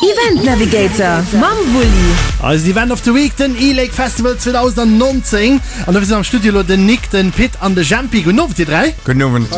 Event Navigator mam Wulli. Eisen Event of the Week, den e-Lake Festival 2019. An dofir sinn am Studio elo den Nick, den Pit an de Jempi. Gudden Owend dir 3. Gudden Owend.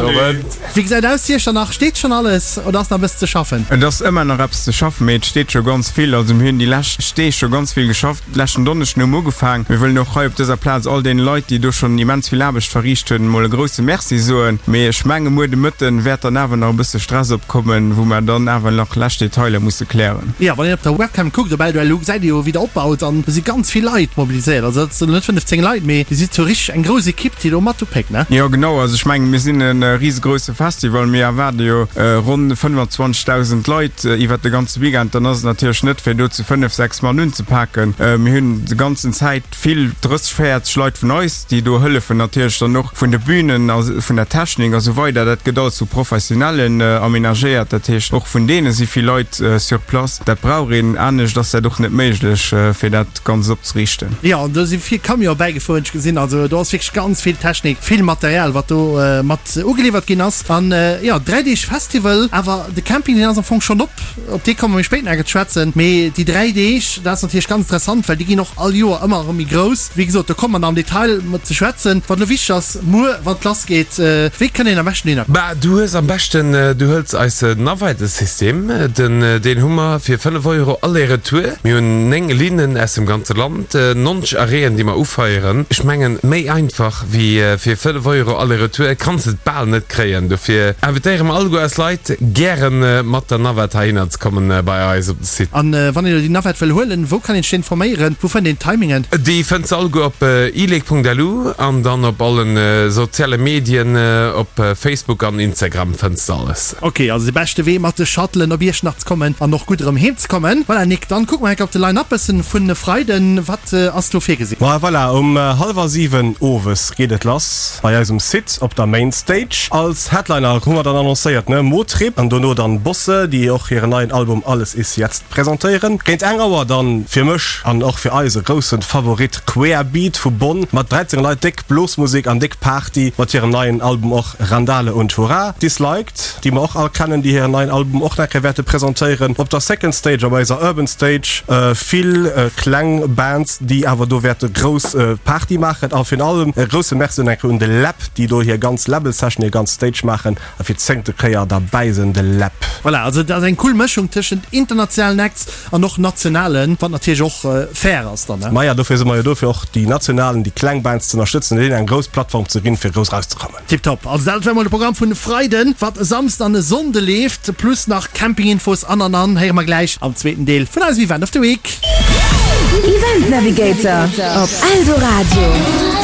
Wéi gesäit aus Iechternach? Steet schonn alles oder ass nach e bëssen ze schaffen? Et ass ëmmer nach eppes ze schaffen, mee et steet scho ganz vill. Also mir hunn déi lescht Deeg scho ganz vill geschafft. Leschten Donneschden hu mer ugefaang. Mir wëllen och hei op dëser Plaz all deene Leit, déi do schonn immens vill Aarbecht verriicht hunn, emol e grousse Merci soen. Mee ech menge muer de Mëtten wäert dann awer nach e bësse Stress opkommen, wou mer dann awer nach lescht Detailer musse klären. Jo, wann een op der Webcam kuckt op LULU, gesäit ee jo, wéi der opbaut an do si ganz vill Leit mobiliséiert. Also dat sinn net 15 Leit, mee dir sidd sou richteg eng grouss Ekipp, déi do mat upéckt, ne? Jo, genau. Also ech mengen, mir sinn e risegrousse Festival. Mir erwaarde jo ronn 25.000 Leit iwwert de ganze Weekend. Dann ass et natierlech net fir do zu 5, 6 Mann unzepaken. Mir hunn de ganzen Zäit vill, 30, 40 Leit vun eis, déi do hëllefen, natierlech dann och vun de Bünen a vun der Technik a sou weider. Dat gëtt alles vu Professionellen amenagéiert, dat heescht och vun deene si vill Leit sur place. Dat brauch een, anescht ass dat och net méiglech, fir dat Ganzt opzeriichten. Jo, an do si vill Camionen bäigefuer, hunn ech gesinn. Also do ass wierklech ganz vill Technik, vill Material, wat do mat ugeliwwert ginn ass. An jo, 3 Deeg Festival, awer de Camping, deen ass am Fong schonn op. Op dee komme mir méi spéit nach ze schwätzen. Mee déi 3 Deeg, dat ass natierlech ganz interessant, well déi ginn och all Joer ëmmer erëm méi grouss. Wéi gesot, do komme mer nach am Detail mat ze schwätzen. Wat elo wichteg ass, muer, wann et lass geet, wéi kënnt een am beschten dohinner? Bah, du hues am beschten, du hëls eise Navette-System, den, deen hu mer fir 5 Euro aller-retour. Mir hunn 9 Linnen aus dem ganze Land, 90 Arrêten, déi mer ufeieren. Ech mengen, méi einfach wéi fir 5 Euro aller-retour kanns de et bal net kréien. Dofir invitéiere mer alleguer eis Leit, gäre mat der Navette heihinner ze kommen bei eis op de Site. An wann een elo déi Navette wëll huelen, wou kann een sech informéieren? Wou fënnt een d'Timingen? Déi fënns de alleguer op ilek.lu an dann op allen soziale Medien, op Facebook an Instagram fënns de alles. Ok, also de beschte Wee mat de Shuttlen op Iechternach ze kommen an och gutt erëm heem ze kommen. Voilà Nick, dann kucke mer enk op de Line-Up bëssen vun e Freiden. Wat ass do virgesinn? Ma voilà, um hallwer 7 owes geet et lass bei eis um Site op der Main Stage. Als Headliner hu mer dann annoncéiert, ne, Motrip an dono dann Bosse, déi och hiren neien Album Alles ist jetzt presentéieren. Géint eng Auer dann fir mech an och fir eis e groussen Favorit Querbeat vu Bonn mat 13 Leit, déck Blosmusek an déck Party mat hirem neien Album och Randale und Hurra. Disliked, déi mer och all kennen, déi hiren neien Album och nach eng Kéier wäerte presentéieren op der Second Stage, op eiser Urban Stage. Vill kleng Bands, déi awer do wäerte grouss Party maachen. A virun allem e grousse Merci och nach eng Kéier un de Läb, déi do hir ganz Label Session, hir ganz Stage maachen a fir d'zéngte Kéier derbäi sinn. De Läb. Voilà, also et ass eng cool Mëschung tëschent internationalen Acts an och nationalen, wat natierlech och fair ass dann, ne? Maja, dofir si mer jo do, fir och déi nationalen, déi kleng Bands ze ënnerstëtzen, deenen eng grouss Plattform ze ginn, fir grouss erauszekommen. Tiptop, also dat war mol de Programm vun e Freiden, wat e Samsden an e Sonnde leeft, plus nach Campinginfos an an an, héiere mer gläich am zweeten Deel vun eisem Event of the Week. Event Navigator op Eldoradio.